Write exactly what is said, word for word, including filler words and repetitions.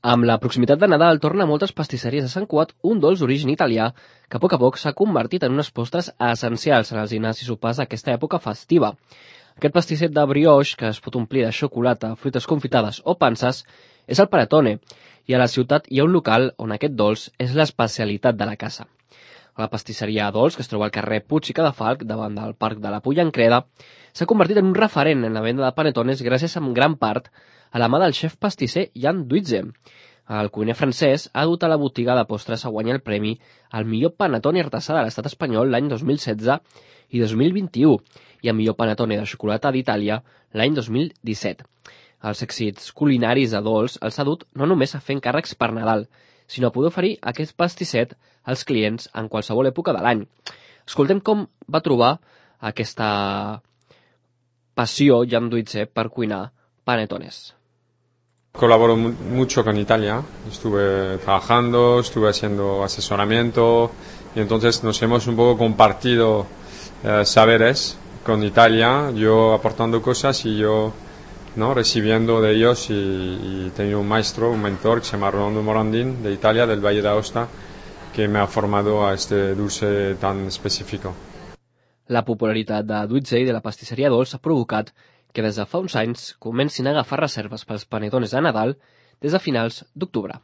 Amb la proximitat de Nadal torna a moltes pastisseries de Sant Cugat un dolç d'origen italià que a poc a poc s'ha convertit en unes postres essencials en els dinars i sopars d'aquesta època festiva. Aquest pastisset de brioix, que es pot omplir de xocolata, fruites confitades o panses, és el panettone, i a la ciutat hi ha un local on aquest dolç és l'especialitat de la casa. La pastisseria Dolç, que es troba al carrer Puig i Cadafalch, davant del Parc de la Pulla en Creda, s'ha convertit en un referent en la venda de panetones gràcies en gran part a la mà del xef pastisser Jan Duitze. El cuiner francès ha dut a la botiga de postres a guanyar el premi al millor panetone artesà de l'estat espanyol l'any dos mil setze i dos mil vint-i-u i al millor panetone de xocolata d'Itàlia l'any dos mil disset. Els èxits culinaris de Dolç els ha dut no només a fer encàrrecs per Nadal, sinó a poder oferir aquest pastisset als clients en qualsevol època de l'any. Escoltem com va trobar aquesta passió Jan Duitze per cuinar panetones. Colaboro mucho con Italia, estuve trabajando, estuve haciendo asesoramiento y entonces nos hemos un poco compartido eh, saberes con Italia, yo aportando cosas y yo ¿no? recibiendo de ellos y, y tengo un maestro, un mentor que se llama Rolando Morandin de Italia, del Valle d'Aosta, que me ha formado a este dulce tan específico. La popularitat de Duitze i de la pastisseria Dolç ha provocat que des de fa uns anys comencin a agafar reserves pels panetones de Nadal des de finals d'octubre.